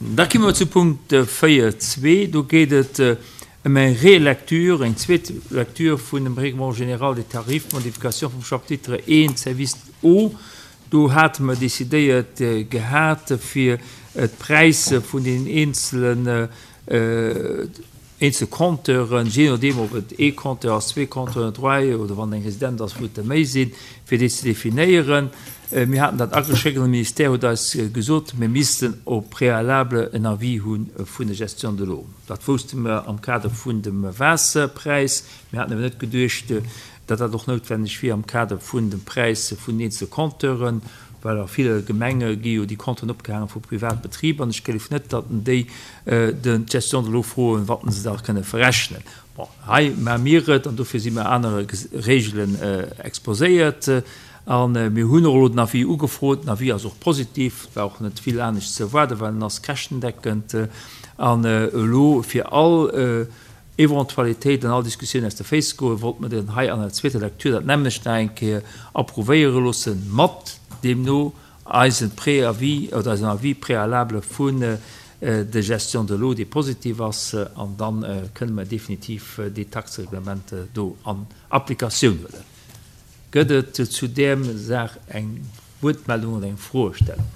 Da komme mer zu Punkt 4.2. Do geet et ëm eng Relecture, eng zweet Lecture vun dem Règlement général des tarifs, Modification vum Chapitre I, Service Eau. Do hate mer decidéiert gehat, fir d'Präisser vun deenen eenzelen Eenzel Compteuren, jee nodeem ob et ee Compteur ass, zwee Compteuren, dräi oder wann et eng Residenz ass, wou et der méi sinn, fir déi ze definéieren. Mir haten dat ageschéckt an de Ministère huet eis gesot, mir missten au préalable en Avis hu vun der Gestion de l'eau. Dat wousste mer am Kader vun dem Waasserpräis. Mir haten awer net geduecht, datt dat och noutwenneg wier am Kader vun dem Präis vun den eenzele Compteuren, well a ville Gemenge gi jo déi Compteuren opgehaange vu Privatbetriber an ech gleef net, datt déi den d'Gestion de l'eau froen, wat se da kënne verrechnen. Bon, hei maache mir et an dofir si mir anere Regelen exposéiert a mir hunn och elo den Avis ugefrot. Den Avis ass och positiv, et war och net vill anescht ze erwaarden, well en ass käschtendeckend an elo fir all Eventualitéit an all Diskussioun aus de Féiss goen, wollte mer den hei an der zweeter Lecture dat nämmlecht nach eng Kéier approuvéiere loossen, mat deemno eisem Préavis oder eisem Avis préalable vun der Gestion de l'eau, dee positiv ass, an da kënne mer definitiv déi Taxereglement do an Applikatioun huelen. Gëtt et zu där Saach eng Wuertmeldung oder eng Froestellung?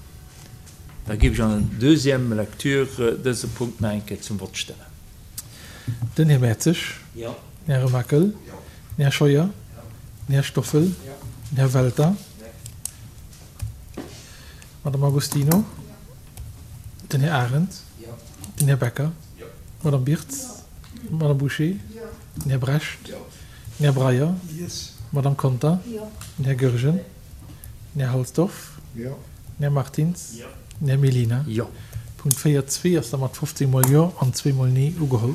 Da géif ech an der deuxième lecture dëse Punkt nach eng Kéier zum Vott stellen. Den Här Mertzig. Jo. Den Här Remakel. Jo. Den Här Scheuer. Jo. Den Här Stoffel. Jo. Den Här Welter. Jo. D'Madame Agostino. Jo. Den Här Arendt. Jo. Den Här Becker. Jo. D'Madame Birtz. Jo. D'Madame Bouché. Jo. Den Här Brecht. Jo. Den Här Breyer. Yes. D'Madame Conter. Jo. Den Här Goergen. Den Här Halsdorf. Jo. Den Här Martins. Jo. Den Här Mellina. Jo. Punkt 4, zwee ass da mat 15 mol Jo an zweemol Nee ugeholl.